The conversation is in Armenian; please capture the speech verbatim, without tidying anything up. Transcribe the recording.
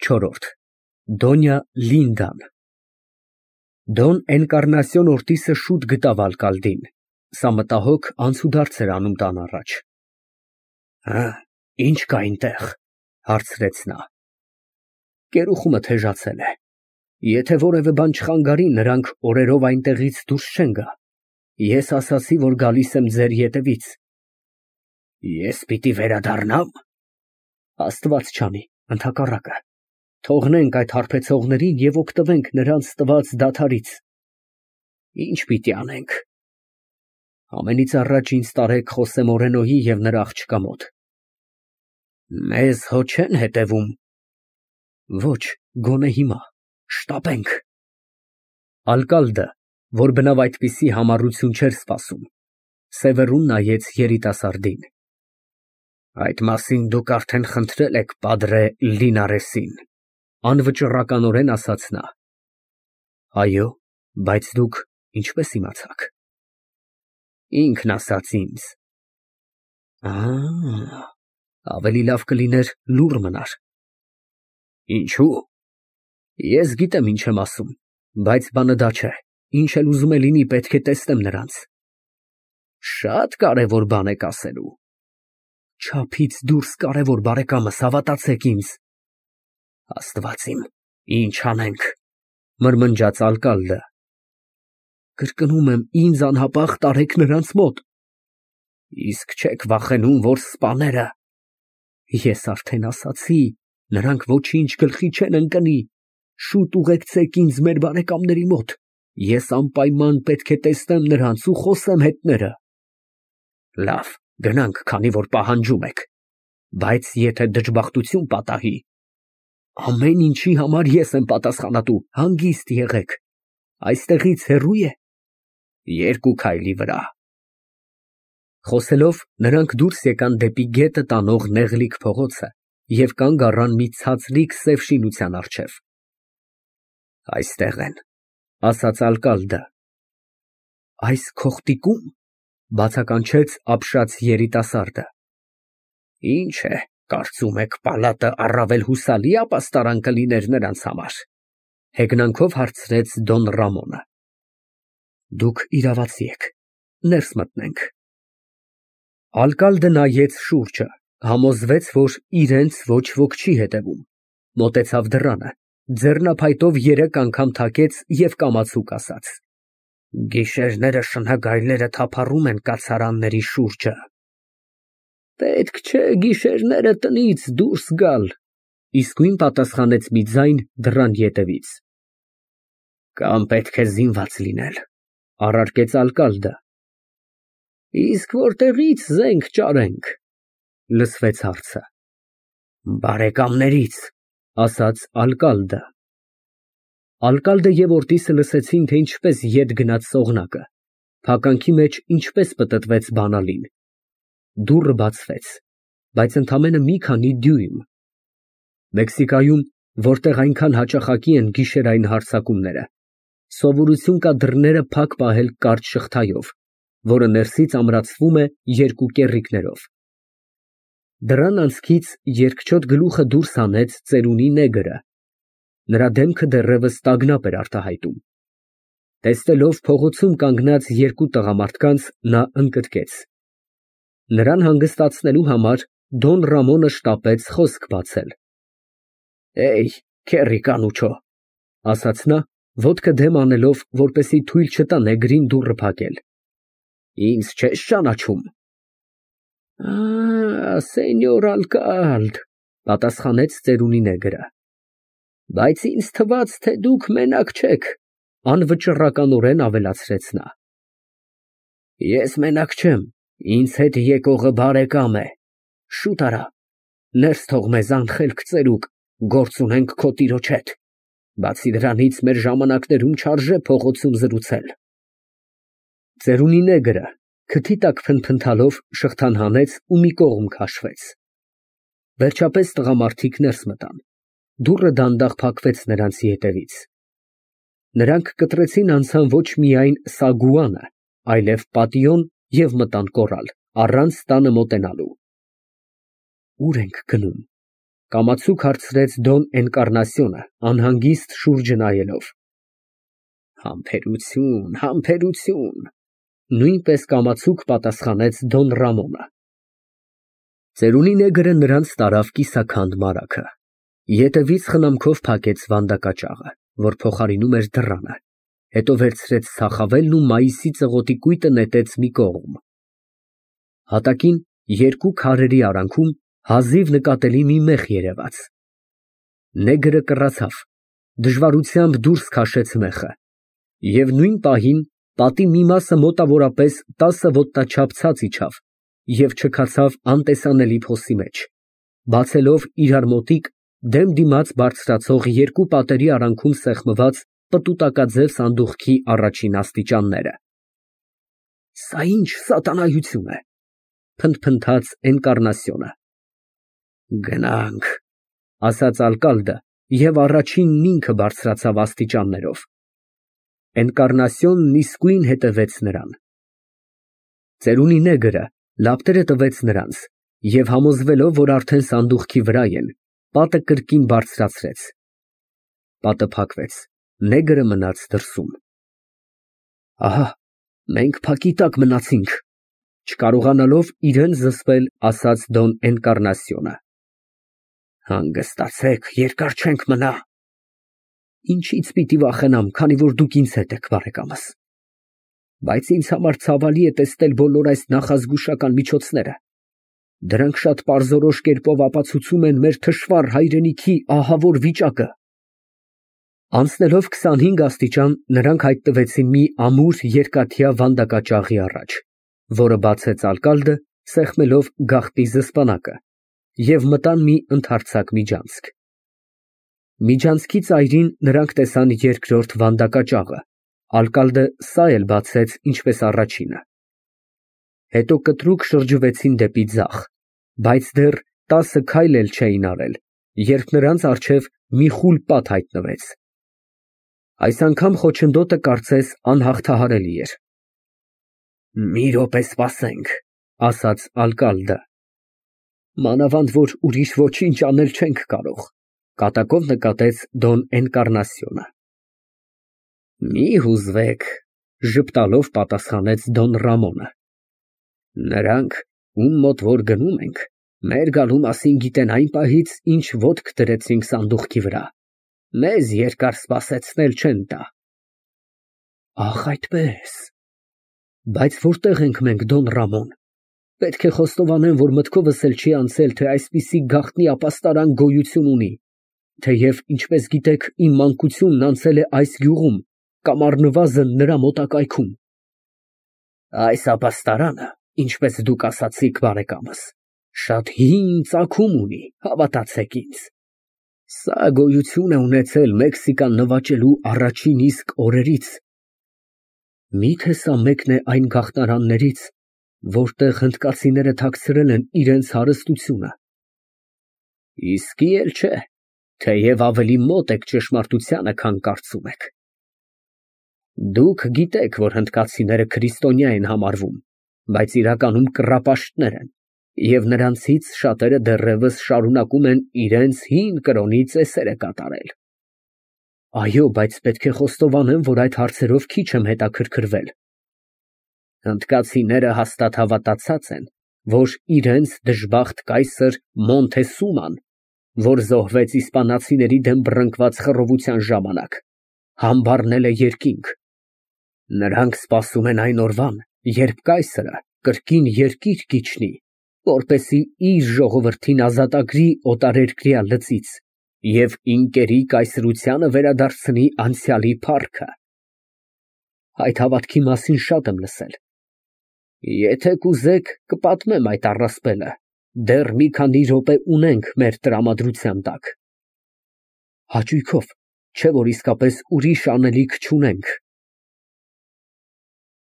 չորրորդ Դոնյա Լինդան Դոն Էնկարնասիոն Օրտիսը շուտ գտավ ալկալդին, սա մտահոգ անցուդարձ էր անում տան առաջ։ Ինչ կա այնտեղ, հարցրեց նա։ Կերուխումը թեժացել է։ Եթե որևէ բան չխանգարի, նրանք օրերով այնտեղից դուրս չեն գա։ Ես ասացի, որ գալիս եմ ձեր ետևից։ Ես պիտի վերադառնա՞մ։ Աստված չանի, ընդհակառակը, թողնենք այդ հարբեցողներին և օգտվենք նրանց տված դադարից։ Ինչ պիտի անենք։ Ամենից առաջ ինձ տարեք Խոսե Մորենոյի և նրա աղջկա մոտ։ Մեզ հո չեն հետևում։ Ոչ, գոնե հիմա, շտապենք։ Ալկալդը, որ բնավ այդպիսի համառություն չէր սպասում, սևեռուն նայեց երիտասարդին։ Այդ մասին դուք արդեն խնդրել եք պատրե Լինարեսին, անվճռականորեն ասաց նա։ Այո, բայց դուք ինչպես իմացաք։ Ինքն ասաց ինձ։ Ավելի լավ կլիներ լուռ մնար։ Ինչու։ Ես գիտեմ ինչ եմ ասում, բայց բանը դա չէ, ինչ էլ ուզում է լինի, պետք է տեսնեմ նրանց։ Շատ կարևոր բան եք ասելու։ Չափից դուրս կարևոր, բարեկամս, հավատացեք ինձ։ Աստված իմ, ինչ անենք, մրմնջաց ալկալդը։ Կրկնում եմ, ինձ անհապաղ տարեք նրանց մոտ։ Իսկ չեք վախենում, որ սպաները։ Ես արդեն ասացի, նրանք ոչինչ գլխի չեն ընկնի։ Շուտ ուղեկցեք ինձ մեր բարեկամների մոտ։ Ես անպայման պետք է տեսնեմ նրանց ու խոսեմ հետները։ Լավ, գնանք, քանի որ պահանջում եք։ Բայց եթե դժբախտություն պատահի, ամեն ինչի համար ես եմ պատասխանատու, հանգիստ եղեք։ Այստեղից հեռու է։ Երկու քայլի վրա։ Խոսելով, նրանք դուրս եկան դեպի գետը տանող նեղլիկ փողոցը և կանգ առան մի ցածրիկ սև շինության առջև։ Այստեղ են, ասաց ալկալդը։ Այս քողտիկու՞մ, բացականչեց ապշած երիտասարդը։ Ինչ է, կարծում եք, պալատը առավել հուսալի ապաստարան կլիներ նրանց համար, հեգնանքով հարցրեց Դոն Ռամոնը։ Դուք իրավացի եք, ներս մտնենք։ Ալկալդը նայեց շուրջը, համոզվեց, որ իրենց ոչ ոք չի հետևում, մոտեցավ դռանը, ձեռնափայտով երեք անգամ թակեց և կամացուկ ասաց. Գիշերները շնագայլները թափառում են կացարանների շուրջը։ Պետք չէ գիշերները տնից դուրս գալ, իսկույն պատասխանեց մի ձայն դռան ետևից։ Կամ պետք է զինված լինել, առարկեց ալկալդը։ Իսկ որտեղի՞ց զենք ճարենք, լսվեց հարցը։ Բարեկամներից, ասաց ալկալդը։ Ալկալդը և Օրտիսը լսեցին, թե ինչպես ետ գնաց սողնակը, փականքի մեջ ինչպես պտտվեց բանալին։ Դուռը բացվեց, բայց ընդամենը մի քանի դյույմ։ Մեքսիկայում, որտեղ այնքան հաճախակի են գիշերային հարձակումները, սովորություն կա դռները փակ պահել կարճ շղթայով, որը ներսից ամրացվում է երկու կեռիկներով։ Դռան անցքից երկչոտ գլուխը դուրս հանեց ծերունի նեգրը։ Նրա դեմքը դեռևս տագնապ էր արտահայտում։ Տեսնելով փողոցում կանգնած երկու տղամարդկանց, նա ընկճկեց։ Նրան հանգստացնելու համար Դոն Ռամոնը շտապեց խոսք բացել։ Էյ, քեռի կանուչո, ասաց նա, ոտքը դեմ անելով, որպեսզի թույլ չտա նեգրին դուռը փակել։ Ինձ չես ճանաչում։ Սենյոր ալկալդ, պատասխանեց ծերունի նեգրը։ Բայց ինձ թվաց, թե դուք մենակ չեք, անվճռականորեն ավելացրեց նա։ Ես մենակ չեմ, ինձ հետ եկողը բարեկամ է։ Շուտ արա, ներս թող մեզ անխելք ծերուկ, գործ ունենք քո տիրոջ հետ։ Բացի դրանից, մեր ժամանակներում չարժե փողոցում զրուցել։ Ծերունի նեգրը, քթի տակ փնթփնթալով, շղթան հանեց ու մի կողմ քաշվեց։ Վերջապես տղամարդիկ ներս մտան։ Դուռը դանդաղ փակվեց նրանց ետևից։ Նրանք կտրեցին անցան ոչ միայն Սագուանը, այլև պատիոն և մտան կոռալ, առանց տանը մոտենալու։ Ո՞ւր ենք գնում, Կամացուկ հարցրեց Դոն Էնկառնասիոնը, անհանգիստ շուրջը նայելով։ Համբերություն, համբերություն, նույնպես կամացուկ պատասխանեց Դոն Ռամոնը։ Ծերունի նեգրը նրանց տարավ կիսաքանդ մարագը, ետևից խնամքով փակեց վանդակաճաղը, որ փոխարինում էր դռանը, հետո վերցրեց սախավելն ու մայիսի ծղոտի կույտը նետեց մի կողմ։ Հատակին երկու քարերի արանքում հազիվ նկատելի մի մեխ երևաց։ Նեգրը կռացավ, դժվարությամբ դուրս քաշեց մեխը, և նույն պահին պատի մի մասը մոտավորապես տասը ոտնաչափ ցած իջավ և չքացավ անտեսանելի փոսի մեջ, բացելով իրար մոտիկ դեմ դիմաց բարձրացող երկու պատերի արանքում սեղմված պտուտակաձև սանդուղքի առաջին աստիճանները։ Սա ի՞նչ սատանայություն է, փնթփնթաց Էնկառնասիոնը։ Գնանք, ասաց ալկալդը և առաջինն ինքը բարձրացավ աստիճաններով։ Էնկառնասիոնն իսկույն հետևեց նրան։ Ծերունի նեգրը լապտերը տվեց նրանց և համոզվելով, որ արդեն սանդուղքի վրա են, պատը կրկին բարձրացրեց։ Պատը փակվեց, նեգրը մնաց դրսում։ Ահա, մենք փակի տակ մնացինք, չկարողանալով իրան զսպել, ասաց Դոն Էնկառնասիոնը։ Հանգստացեք, երկար չենք մնա։ Ինչից պիտի վախենամ, քանի որ դուք ինձ հետ եք, բարեկամս։ Բայց ինձ համար ցավալի է տեսնել բոլոր այս նախազգուշական միջոցները։ Դրանք շատ պարզորոշ կերպով ապացուցում են մեր թշվառ հայրենիքի ահավոր վիճակը։ Անցնելով քսանհինգ աստիճան, նրանք հայտնվեցին մի ամուր երկաթյա վանդակաճաղի առաջ, որը բացեց ալկալդը, սեղմելով գաղտնի զսպանակը, և մտան մի ընդարձակ միջանցք։ Միջանցքի ծայրին նրանք տեսան երկրորդ վանդակաճաղը, ալկալդը սա էլ բացեց ինչպես առաջինը։ Հետո կտրուկ շրջվեցին դեպի ձախ, բայց դեռ տասը քայլ էլ չէին արել, երբ նրանց առջև մի խուլ պատ հայտնվեց։ Այս անգամ խոչընդոտը կարծես անհաղթահարելի էր։ Մի րոպե սպասենք, ասաց ալկալդը։ Մանավանդ որ ուրիշ ոչինչ անել չենք կարող, կատակով նկատեց Դոն Էնկառնասիոնը։ Մի հուզվեք, ժպտալով պատասխանեց Դոն Ռամոնը։ Նրանք, ում մոտ որ գնում ենք, մեր գալու մասին գիտեն այն պահից, ինչ ոտք դրեցինք սանդուղքի վրա, մեզ երկար սպասեցնել չեն տա։ Ահ, այդպես։ Բայց որտե՞ղ ենք մենք, Դոն Ռամոն։ Պետք է խոստովանեմ, որ մտքովս էլ չի անցել, թե այսպիսի գաղտնի ապաստարան գոյություն ունի, թեև, ինչպես գիտեք, իմ մանկությունն անցել է այս գյուղում կամ առնվազն նրա մոտակայքում։ Այս ապաստարանը, ինչպես դուք ասացիք, բարեկամս, շատ հին ծագում ունի, հավատացեք ինձ։ Սա գոյություն է ունեցել Մեքսիկան նվաճելու առաջին իսկ օրերից։ Մի՞թե սա մեկն է այն գաղթարաններից, որտեղ հնդկացիները թաքցրել են իրենց հարստությունը։ Իսկի էլ չէ, թեև ավելի մոտ եք ճշմարտությանը, քան կարծում եք։ Դուք գիտեք, որ հնդկացիները քրիստոնյա են համարվում, բայց իրականում կռապաշտներ են, և նրանցից շատերը դեռևս շարունակում են իրենց հին կրոնի ծեսերը կատարել։ Այո, բայց պետք է խոստովանեմ, որ այդ հարցերով քիչ եմ հետաքրքրվել։ Հնդկացիները հաստատ հավատացած են, որ իրենց դժբախտ կայսր Մոնթեսուման, որ զոհվեց իսպանացիների դեմ բռնկված խռովության ժամանակ, համբարել է երկինք։ Նրանք սպասում են այն օրվան, երբ կայսրը կրկին երկիր կիջնի, որպեսզի իր ժողովրդին ազատագրի օտարերկրյա լծից և ինկերի կայսրությանը վերադարձնի անցյալի փառքը։ Այդ հավատքի մասին շատ եմ լսել։ Եթե կուզեք, կպատմեմ այդ առասպելը, դեռ մի քանի րոպե ունենք մեր տրամադրության տակ։ Հաճույքով, չէ՞ որ իսկապես ուրիշ անելիք չունենք։